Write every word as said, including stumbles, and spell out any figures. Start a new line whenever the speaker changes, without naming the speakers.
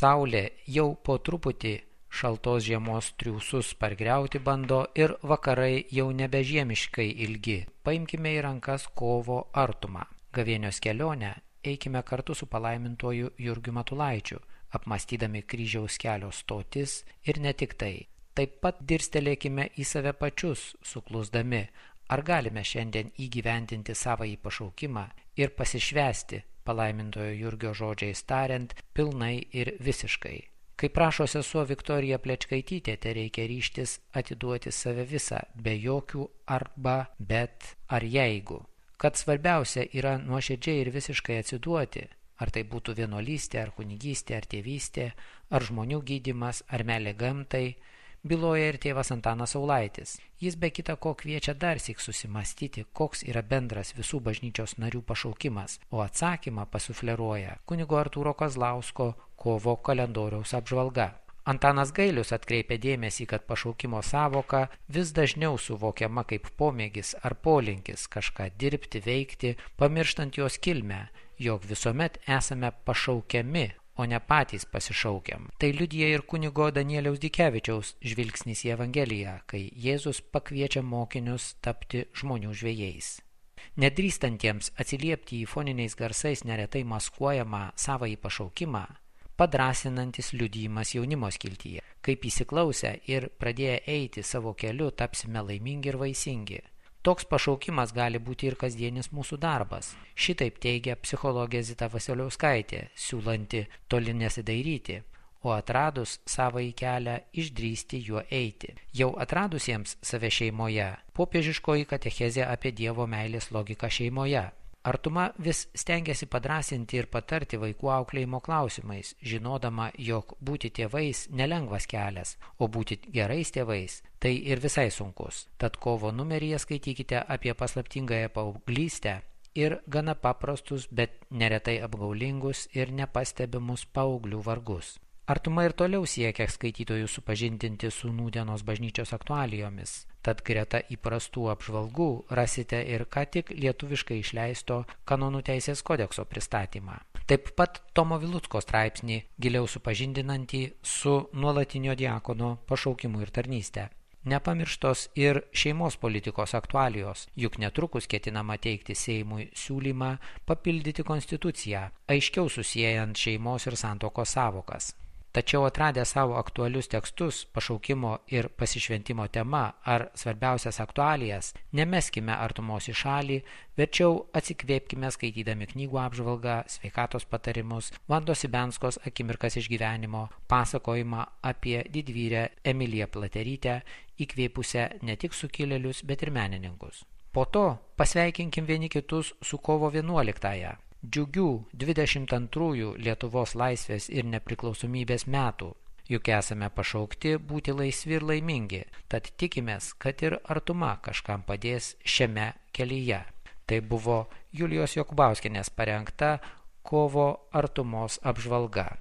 Saulė jau po truputį šaltos žiemos triūsus pargriauti bando ir vakarai jau nebežiemiškai ilgi. Paimkime į rankas kovo artumą. Gavėnios kelionę eikime kartu su palaimintuoju Jurgiu Matulaičiu, apmąstydami kryžiaus kelio stotis ir ne tik tai. Taip pat dirstelėkime į save pačius, suklusdami, ar galime šiandien įgyvendinti savąjį pašaukimą ir pasišvęsti, palaimintojo Jurgio žodžiais tariant, pilnai ir visiškai. Kaip prašo sesuo Viktorija Plečkaitytė, tai reikia ryžtis atiduoti save visą, be jokių arba, bet ar jeigu. Kad svarbiausia yra nuoširdžiai ir visiškai atsiduoti, ar tai būtų vienuolystė, ar kunigystė, ar tėvystė, ar žmonių gydymas, ar meilė gamtai, byloja ir tėvas Antanas Saulaitis. Jis be kita ko kviečia darsyk susimastyti, koks yra bendras visų bažnyčios narių pašaukimas, o atsakymą pasufleruoja kunigo Artūro Kazlausko kovo kalendoriaus apžvalga. Antanas Gailius atkreipia dėmesį, kad pašaukimo sąvoka vis dažniau suvokiama kaip pomėgis ar polinkis kažką dirbti, veikti, pamirštant jos kilmę, jog visuomet esame pašaukiami, o ne patys pasišaukiam. Tai liudija ir kunigo Danieliaus Dikevičiaus žvilgsnis į Evangeliją, kai Jėzus pakviečia mokinius tapti žmonių žvejais. Nedrįstantiems atsiliepti į foniniais garsais neretai maskuojamą savąjį pašaukimą, padrasinantis liudijimas jaunimo skiltyje. Kaip įsiklausę ir pradėję eiti savo keliu, tapsime laimingi ir vaisingi. Toks pašaukimas gali būti ir kasdienis mūsų darbas. Šitaip teigia psichologė Zita Vasiliauskaitė, siūlanti toli nesidairyti, o atradus savąjį kelią išdrįsti juo eiti. Jau atradusiems save šeimoje, popiežiškoji katechezė apie Dievo meilės logiką šeimoje. Artuma vis stengiasi padrasinti ir patarti vaikų auklėjimo klausimais, žinodama, jog būti tėvais nelengvas kelias, o būti gerais tėvais tai ir visai sunkus. Tad kovo numeryje skaitykite apie paslaptingąją paauglystę ir gana paprastus, bet neretai apgaulingus ir nepastebimus paauglių vargus. Artuma ir toliau siekia skaitytojus supažindinti su nūdienos bažnyčios aktualijomis. Tad greta įprastų apžvalgų rasite ir ką tik lietuviškai išleisto Kanonų teisės kodekso pristatymą. Taip pat Tomo Vilucko straipsnį giliau supažindinantį su nuolatinio diakono pašaukimu ir tarnyste. Nepamirštos ir šeimos politikos aktualijos, juk netrukus ketinama teikti Seimui siūlymą papildyti konstituciją, aiškiau susiejant šeimos ir santuokos sąvokas. Tačiau atradę savo aktualius tekstus, pašaukimo ir pasišventimo tema ar svarbiausias aktualijas, nemeskime artumos į šalį, verčiau atsikvėpkime skaitydami knygų apžvalgą, sveikatos patarimus, Vandos Ibenskos akimirkas iš gyvenimo, pasakojimą apie didvyrę Emiliją Platerytę, įkvėpusią ne tik sukilėlius, bet ir menininkus. Po to pasveikinkim vieni kitus su kovo vienuoliktąją. Džiugių dvidešimt antrųjų Lietuvos laisvės ir nepriklausomybės metų, juk esame pašaukti būti laisvi ir laimingi, tad tikimės, kad ir artuma kažkam padės šiame kelyje. Tai buvo Julijos Jokubauskienės parengta kovo artumos apžvalga.